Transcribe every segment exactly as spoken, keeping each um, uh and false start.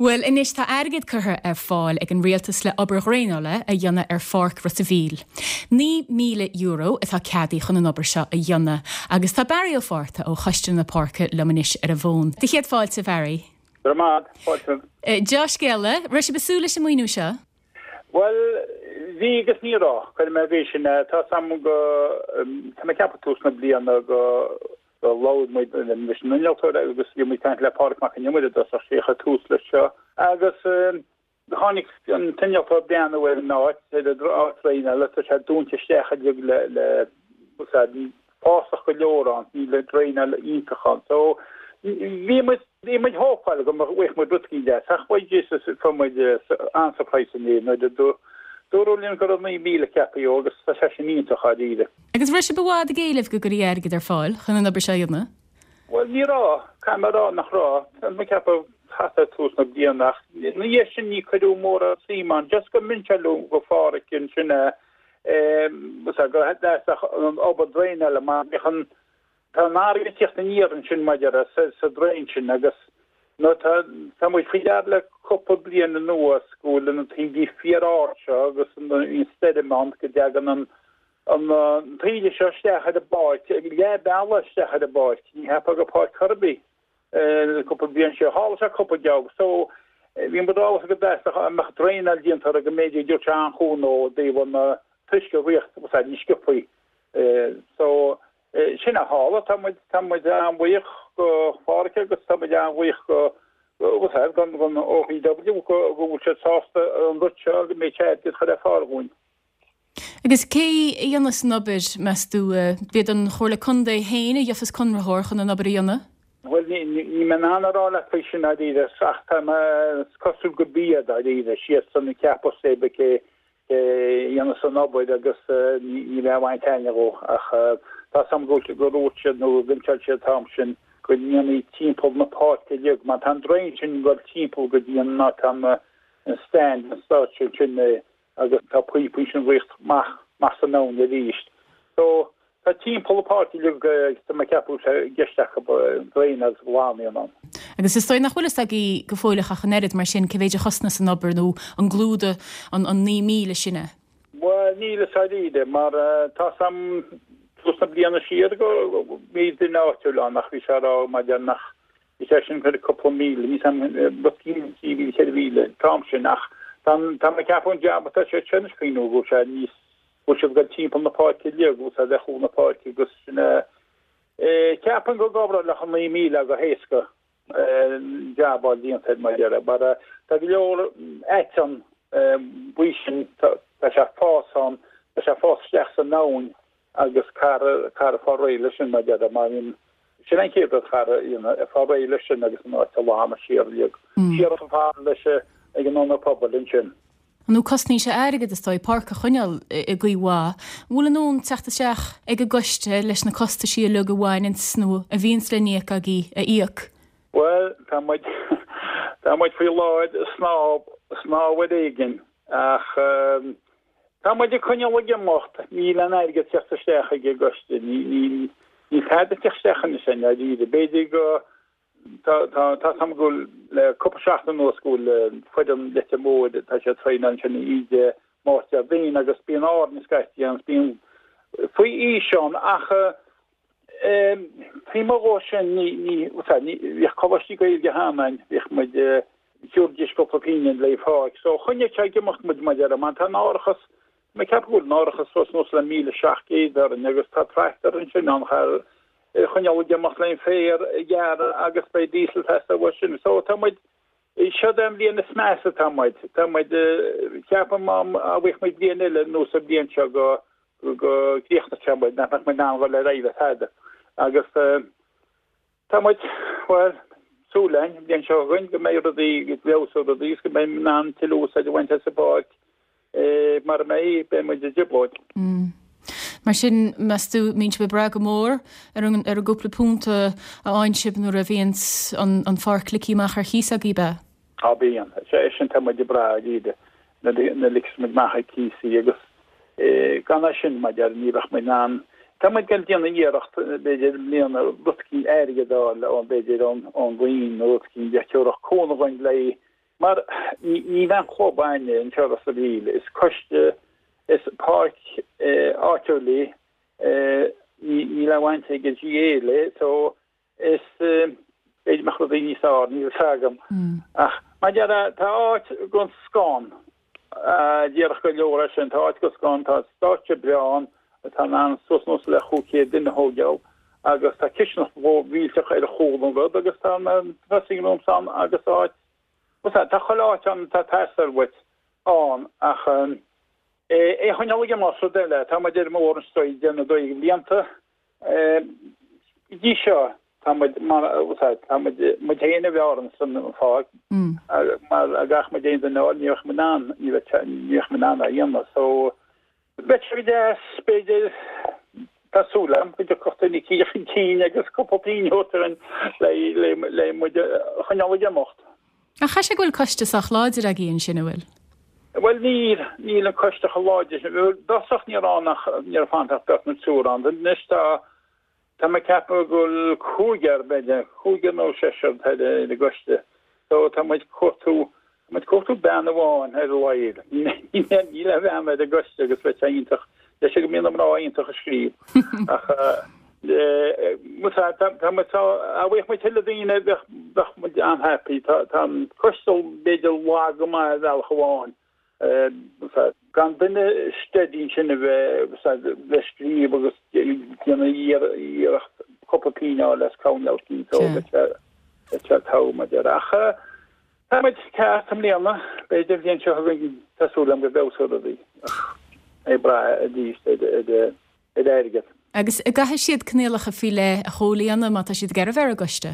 Well anois tá airgead curtha ar fáil ag an rialtas le obair dhraenála a dhéanamh ar Pháirc Ros an Mhíl. Naoi míle euro atá ceadaithe chun an obair seo a dhéanamh, agus tá Barry Ó Fátharta ó Choiste na Páirce liom anois ar an bhfón. Do chéad fáilte Barry. Fáilte. Dea-scéala, raibh sibh ag súil leis an maoiniú seo? Well bhí agus ní raibh chuir mé bhí sin tá sam go tá mé ceapadh tús na bliana go go labhair muid leis an innealtóir agus bhí muid caint le Pádraig Mac an Iomaire dos sé chuir tús leis seo agus tháinig an t-innealtóir breathnú ar an áit ar áit draenála tá sé dúnta isteach le le fásach go leor ann ní le draenáil iontach ann so bhí muid bhí muid hópáil go bhfuigh muid rud éigin deas ach bhuel Jesus fuair muid an-surprise inné nuair a dúradh linn go raibh naoi míle ceaptha agus tá sé sin iontach dáiríre. Agus raibh sibh i bhfad ag éileamh go gcuirfí airgead ar fáil chun an obair seo a dhéanamh? Well ní raibh caithfidh mé rá nach raibh Tá mé ceapadh thart tús na bliana ach na dhiaidh sin ní cuireadh mórán suim ann just go mb'fhéidir go Phádraig sin go an obair draenála mar bhí tá an airgead teacht aniar ansin maidir sa sa draein sin agus no tá tá muid faoi deara le cúpla bliain anuas go bhfuil na taoidí fíor-ard seo agus an stoirm ann go dtagann an an taoide seo isteach ar an bpáirc leath bealaigh isteach ar an bpáirc ní cheapfá go páirc rugby cúpla bliain seo tharla sé cúpla geog so bhí muid ábalta go deas amach draenáil déanta go mb'fhéidir dúirt sé an-chúnamh ó dtaobh an t-uisce riocht ní sciobthaí so sin a tharla tá muid tá muid an-bhuíoch go Phádraig agus tá muid an-bhuíoch go gan gan OPW go go bhfuil siad sásta an rud seo go mbeidh airgead chur ar fáil dhúinn. Agus cé a dhéanfas an obair meas tú b'iad an Chomhairle Contae féin a gheofas conraitheoir chun an obair a dhéanamh? Well ní ní mé an rá le faoi sin dáiríre ach tá cosúil go b'iad dáiríre siad san ceapadh sé cé dhéanfas an obair agus ní bheith bhaint aine go ach tá sam go go dúirt siad nó ginseáil siad tam sin go ndéanfaí timpeall na páirce uilig mar tá an draein sin go timpeall go dtí an ná tá an stand an stáitse sin agus tá píopaí sin riocht maith maith san ann arís. So tá timpeall na páirce uilig tá mé ceapadh sé gceist acu draein agus glanadh ann. Agus is dóigh nach bhfuil fhios agaibh go fóilleach ach an oiread mar sin cé mhéid a chosnós an obair nó an gclúdóidh an an naoi míle sin é. Well níl fhios dáiríre mar tá sam tús na bliana siar go bhí duine áitiúil ann ach bhí sé rá maidir nach bhí sé sin chuir cúpla míle ní sam trí mhíle ceithre mhíle tam sin ach tá tá mé ceapadh an jab atá sé sin faoin go sé níos go siad go timpeall na páirce uilig go sé de chúl na páirce agus sin ceapann go gabra le an naoi míle go héasca jab á déanta mar dheire mar tá go leor eitean buí sin tá sé fás ann tá sé fás isteach san abhainn agus car car fá réidh leis sin mar dheire mar sin sin an chéad rud char fá réidh leis sin agus an áit a lán siar uilig siar fá leis ag an ionad pobail ansin. Nó cosnaíonn sé airgead is dóigh páirc a choinneáil i gcaoi mhaith, bhfuil an ann teacht isteach ag an gcoiste leis na costaisí uilig a bhaineanns nó a bhíonns le n-íoc agaibh a íoc. Well tá muid tá muid faoi láthair snámh snámh ar éigean ach tá muid ag coinneáil ag imeacht níl an airgead teacht isteach ag an gcoiste ní ní ní tada teacht isteach anois sin dáiríre b'fhéidir go tá tá tá sam go le cúpla seachtain anuas go bhfuil foireann Leitir Móir tá sé traenáil sin íde Máirt Déardaoin agus bíonn Árainn scaití ann bíonn faoi aois ann ach faoi mo dhó sin ní ní ní bhíodh coláistí Gaeilge cheana bhíodh muid thiúrdis cúpla pingin le fáil so choinnigh sé ag imeacht muid maidir mar tá an árachas mé ceap go bhfuil an árachas fós nós le míle seacht gcéad orainn agus tá tractor ansin ann char choinneáil ag imeacht le féar a ghearradh agus beidh diesel teasta uaidh sin so tá muid seo an bhliain is measa tá muid tá muid ceapaim má bhfuil muid bliain eile nó sa bhliain seo go go gcríochnóidh muid nach mbeidh muid in ann dul ar aghaidh le tada agus tá muid well súil againn an bhliain seo chugainn go mbeidh rudaí go bhfeabhsóidh rudaí agus go mbeidh in ann tuilleadh úsáid a bhaint as an bpáirc mar a mbeidh beidh muid i dtrioblóid. Mar sin meas tú mbíonn sibh ag brath go mór ar an ar an gcúpla punt a fhaigheann sibh nuair a bhíonns an an pháirc ligthe amach ar chíos agaibh be? Á bíonn sé sin tá muid ag brath dáiríre na ligeas muid amach ar cíos í agus gan é sin mar deir ní bheadh muid in ann Tá muid ag déanamh iarracht b'fhéidir i mbliana rud éicint airgead a fháil ón b'fhéidir ón ón roinn nó rud éicint a thabharfadh cúnamh dhúinn le Mar níl aon chlub againne anseo i Ros a' Mhíl, is coiste, is páirc áitiúil í, níl aon bhaint ag an GAA léi, so is b'fhéidir mbeadh rudaí níos fearr, níl a fhios agam. Ach mar a déarfá, tá áit den scoth ann, díreach go leor é sin, tá áit den scoth ann, tá stáitse breá ann, atá in ann suas anuas le chúig chéad duine a thógáil agus tá cistineach mhór mhillteach ar chúl an rud agus tá na dressing rooms ann agus áit tá chuile áit ann atá ag teastáil uait ann ach é a choinneáil ag imeacht rud eile tá muid ar an mbóthar anseo ag déanamh dóigh blianta go dtí seo tá muid mar tá muid muid féin a bhearn san pháirc mar gach muid aon duine ní bheadh muid in ann ní bheadh muid in ann a dhéanamh so Bheadh sé go deas, b'fhéidir, tá súil agam go dtiocfadh duine eicínt chun cinn agus cúpla pingin a thabhairt dúinn le muid a choinneáil ag imeacht. Ach chaithfidh sé go bhfuil coiste sách láidir agaibh ansin, an bhfuil? Bhuel níl, níl an coiste chomh láidir sin. I dtosach ní raibh ann ach, ní raibh fanta ach beirt nó triúr ann. Anois tá, tá mé ag ceapadh go bhfuil cúigear, b'fhéidir, cúigear nó seisear atá ar an gcoiste. So tá muid ag cuartú Tá muid ag cuartú bean amháin ar a laghad. Níl aon bhean ar an gcoiste agus bheadh sé iontach. Deir siad go mbíonn na mná iontach ag scríobh. Ach tá muid dá bhfaigheadh muid tuilleadh daoine bheadh bheadh muid an-happy. Tá tá an coiste b'fhéidir lag go maith ar bhealach amháin. Gan duine steady ansin a bheith le scríobh agus déanamh iarracht cúpla pingin a fháil as coinneáil cinnte ó bheadh sé togha mar a déarfá. Ach Tá muid ceart i mbliana, b'fhéidir an bhliain seo chugainn, tá súil agam go bhfeabhsóidh rudaí, ach ag brath arís ar airgead. Agus an gcaithfidh siad coinníollacha faoi leith a chomhlíonadh má tá siad ag iarraidh bheith ar an gcoiste?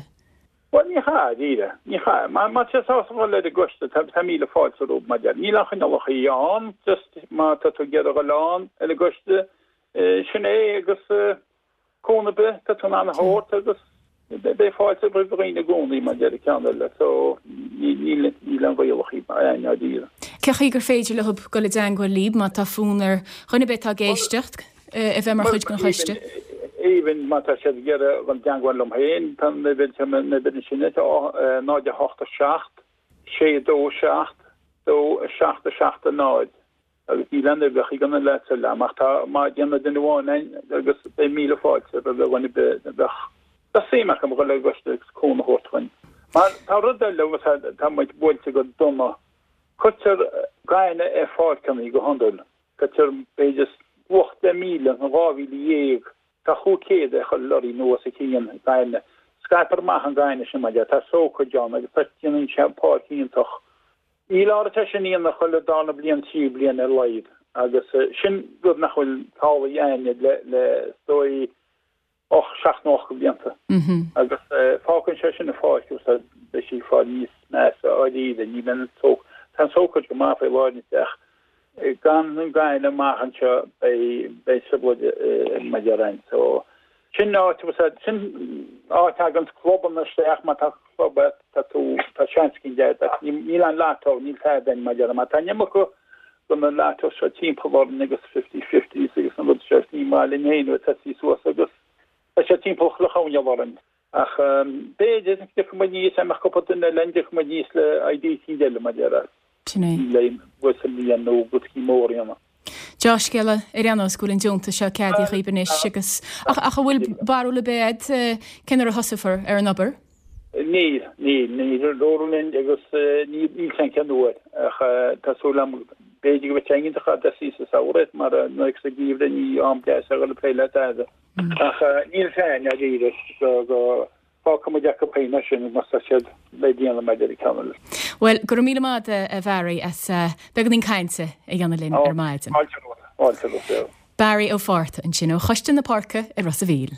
Bhuel, ní chaithfidh, dáiríre. Ní chaithfidh. Má tá siad sásta dhul ar an gcoiste, tá míle fáilte rompu, mar deir. Níl aon choinníollacha ann, just má tá tú ag iarraidh dhul ann ar an gcoiste, sin é agus cúnamh ar bith atá tú in ann a thabhairt agus beidh fáilte roimh dhaoine i gcónaí mar deir an ceann eile so níl níl aon rialacha ann dáiríre. Cé chaoi gur féidir leo dul i dteangmháil libh má tá fonn ar dhuine ar bith atá ag éisteacht a bheith mar chuid den choiste? Even má tá siad ag iarraidh dul i dteangmháil liom féin, tá an uimhir tá an uimhir ansin tá náid a hocht a seacht, sé dó seacht, dó a seacht a seacht a náid. Agus níl aon uimhreacha ag na lads eile ach tá má déanann duine amháin é agus beidh míle fáilte roimh dhuine ar bith a bheadh bheadh suim acu a dhul ar an gcoiste agus cúnamh a thabhairt dúinn. Mar tá rud eile agus tá muid buailte go dona. Cuirtear gaineamh ar pháirceanna go hiondúil. Cuirtear b'fhéidir luach deich míle nó dhá mhíle dhéag, tá chúig chéad ar chuile lorry nó os a chionn gaineamh. Scaiptear amach an gaineamh sin mar tá sócraid ann agus tá déanann sé páirc iontach. Níl áit é sin a dhéanamh chuile darna bliain, tríú bliain ar a laghad agus sin rud nach bhfuil tarlaithe againne le le is dóigh och seacht nó ocht de bhlianta. Agus fágann sé sin an pháirc agus beidh sí ag fáil níos measa dáiríre, ní bheidh an sóc, tá an tsócraid go maith faoi láthair ach gan an gaineamh amach anseo beidh beidh trioblóid mar déarfá ann. So sin áit sin áit a thagann clubanna isteach má tá club agat tá tú tá seans éicint agat ach níl an lotto níl tada ann mar déarfá má tá an iomarca de na lottos seo timpeall orainn agus fifty fifties agus an rud seo ní maith linn féin nuair atá sí suas agus tá sé timpeall chuile choirnéal orainn. Ach b'fhéidir go dtiocfaidh muid aníos dá mbeadh cúpla duine linn dtiocfaidh muid aníos le idea éicint eile mar déarfá. Sin é. Le bhfuil sa mbliain nó rud éicint mór a dhéanamh. Dea-scéala ar aon nós go bhfuil an deontas seo ceadaithe dhaoibh anois agus ach ach an bhfuil barúil ar bith agat cén uair a thosófar ar an obair? Níl, níl, níl dúradh linn agus níl níl fhios a'm cén uair ach tá súil agam b'fhéidir go mbeidh sé iontach dá dtosaí sa samhradh mar nuair sa gheimhreadh ní am deas a dhul ag plé le tada. Ach níl fhios a'inn dáiríre go go fágfaidh muid acu féin é sin má tá siad le déanamh maidir le ceann eile. Bhuel, go raibh míle maith agat a Bharry as beagáinín cainte a dhéanamh linn ar maidin. Fáilte romhat, fáilte romhat. Barry Ó Fátharta ansin ó Choiste na Páirce i Ros a' Mhíl.